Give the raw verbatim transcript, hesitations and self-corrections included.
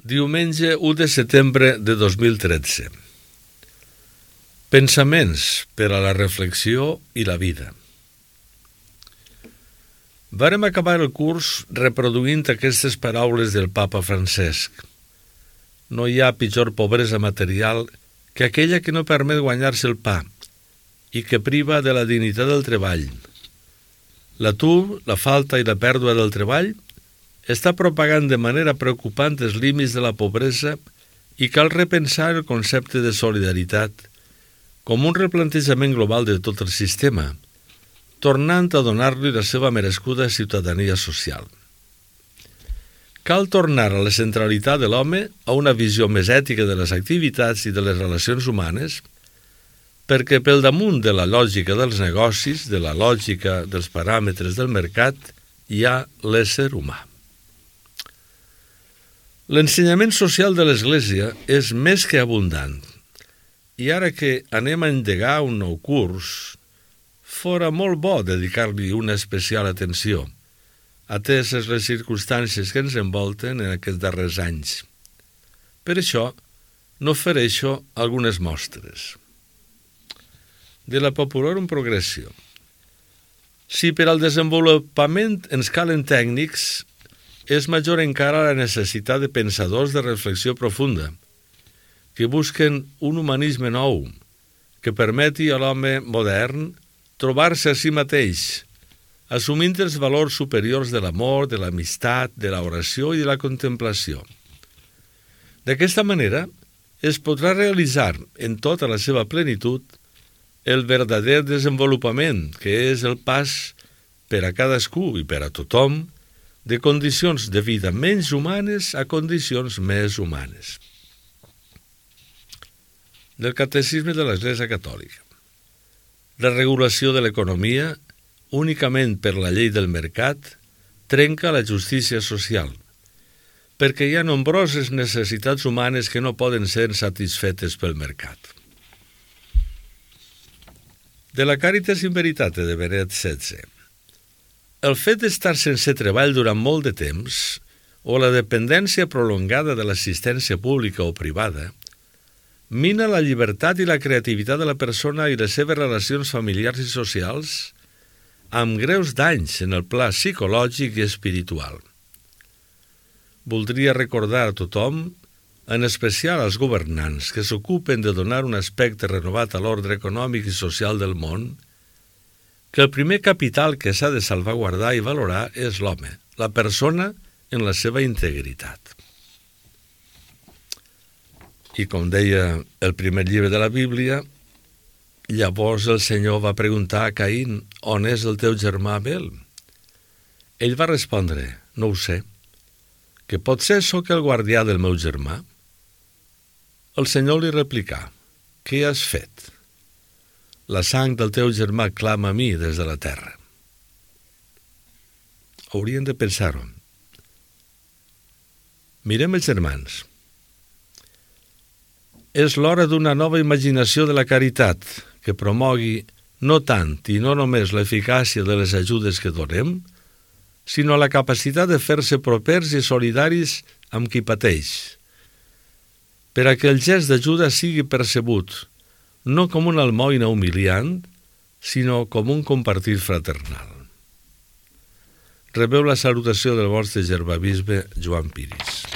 Diumenge u de setembre de dos mil tretze. Pensaments per a la reflexió i la vida. Vàrem acabar el curs reproduint aquestes paraules del papa Francesc. No hi ha pitjor pobresa material que aquella que no permet guanyar-se el pa i que priva de la dignitat del treball. L'atur, la falta i la pèrdua del treball està propagant de manera preocupant els límits de la pobresa i cal repensar el concepte de solidaritat com un replantejament global de tot el sistema, tornant a donar-li la seva merescuda ciutadania social. Cal tornar a la centralitat de l'home, a una visió més ètica de les activitats i de les relacions humanes, perquè pel damunt de la lògica dels negocis, de la lògica dels paràmetres del mercat, hi ha l'ésser humà. L'ensenyament social de l'Església és més que abundant, i ara que anem a endegar un nou curs, fora molt bo dedicar-li una especial atenció, ateses les circumstàncies que ens envolten en aquests darrers anys. Per això, n'ofereixo algunes mostres. De la Populorum Progressio. Si per al desenvolupament ens calen tècnics, és major encara la necessitat de pensadors de reflexió profunda, que busquen un humanisme nou, que permeti a l'home modern trobar-se a si mateix, assumint els valors superiors de l'amor, de l'amistat, de l'oració i de la contemplació. D'aquesta manera, es podrà realitzar en tota la seva plenitud el verdader desenvolupament, que és el pas per a cadascú i per a tothom, de condicions de vida menys humanes a condicions més humanes. Del Catecisme de l'Església Catòlica. La regulació de l'economia, únicament per la llei del mercat, trenca la justícia social, perquè hi ha nombroses necessitats humanes que no poden ser satisfetes pel mercat. De la Caritas in Veritate de Benet setze. El fet d'estar sense treball durant molt de temps o la dependència prolongada de l'assistència pública o privada mina la llibertat i la creativitat de la persona i les seves relacions familiars i socials amb greus danys en el pla psicològic i espiritual. Voldria recordar a tothom, en especial als governants que s'ocupen de donar un aspecte renovat a l'ordre econòmic i social del món, que el primer capital que s'ha de salvaguardar i valorar és l'home, la persona en la seva integritat. I com deia el primer llibre de la Bíblia, llavors el Senyor va preguntar a Caín, on és el teu germà Abel? Ell va respondre, no ho sé, que potser sóc el guardià del meu germà. El Senyor li replicà, què has fet? La sang del teu germà clama a mi des de la terra. Haurien de pensar-ho. Mirem els germans. És l'hora d'una nova imaginació de la caritat que promogui no tant i no només l'eficàcia de les ajudes que donem, sinó la capacitat de fer-se propers i solidaris amb qui pateix, per a que el gest d'ajuda sigui percebut no com una almoina humiliant, sinó com un compartir fraternal. Rebeu la salutació del vostre germabisbe Joan Piris.